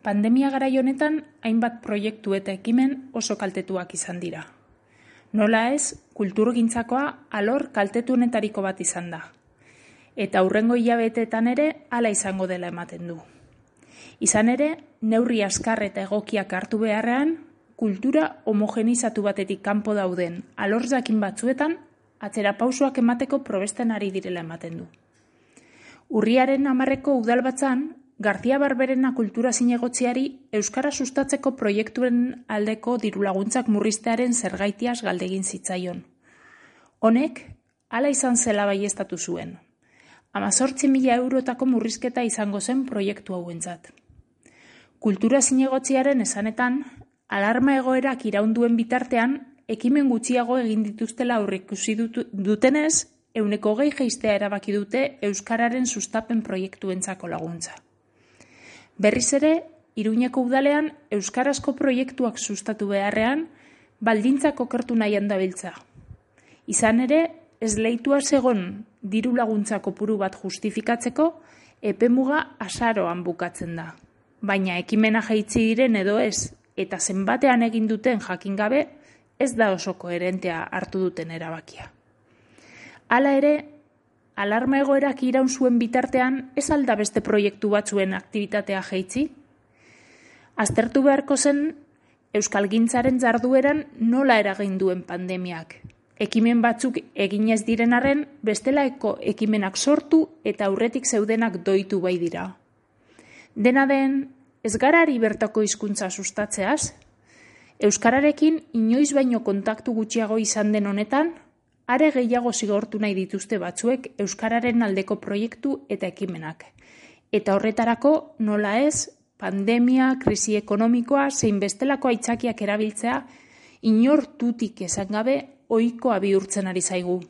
Pandemia garai honetan hainbat proiektu eta ekimen oso kaltetuak izan dira. Nola ez, kulturgintzakoa alor kaltetuenetariko bat izan da. Eta hurrengo hilabeteetan ere hala izango dela ematen du. Izan ere, neurri askar eta egokiak hartu beharrean, kultura homogenizatu batetik kanpo dauden alor jakin batzuetan atzera pausoak emateko probesten ari direla ematen du. Urriaren 10ko udalbatzan, García Barberena kultura zinegotziari euskara sustatzeko proiektuen aldeko dirulaguntzak murriztearen zergaitiaz galdegin zitzaion. Honek, hala izan zela baieztatu zuen. 18.000 eurotako murrizketa izango zen proiektu hauentzat. Kultura zinegotziaren esanetan, alarma egoerak iraunduen bitartean, ekimen gutxiago egin dituztela aurreikusi dutenez, 20% jaistea erabaki dute euskararen sustapen proiektuentzako laguntza. Berriz ere, Iruñeko udalean euskarazko proiektuak sustatu beharrean, baldintzak okertu nahian dabiltza. Izan ere, esleitua zegon diru laguntza kopuru bat justifikatzeko, epemuga azaroan bukatzen da. Baina ekimena jaitsi diren edo ez, eta zenbatean egin duten jakin gabe, ez da oso koherentea hartu duten erabakia. Hala ere, alarma egoerak iraun zuen bitartean, ez alda beste proiektu batzuen aktibitatea jaitsi? Aztertu beharko zen, euskalgintzaren jardueran nola eragin duen pandemiak. Ekimen batzuk eginez diren arren, bestelaeko ekimenak sortu eta aurretik zeudenak doitu bai dira. Dena den, ez garari bertako hizkuntza sustatzeaz? Euskararekin inoiz baino kontaktu gutxiago izan den honetan, are gehiago zigortu nahi dituzte batzuek euskararen aldeko proiektu eta ekimenak. Eta horretarako nola ez, pandemia, krisi ekonomikoa, zein bestelako aitzakiak erabiltzea, inor tutik esan gabe ohikoa bihurtzen ari zaigu.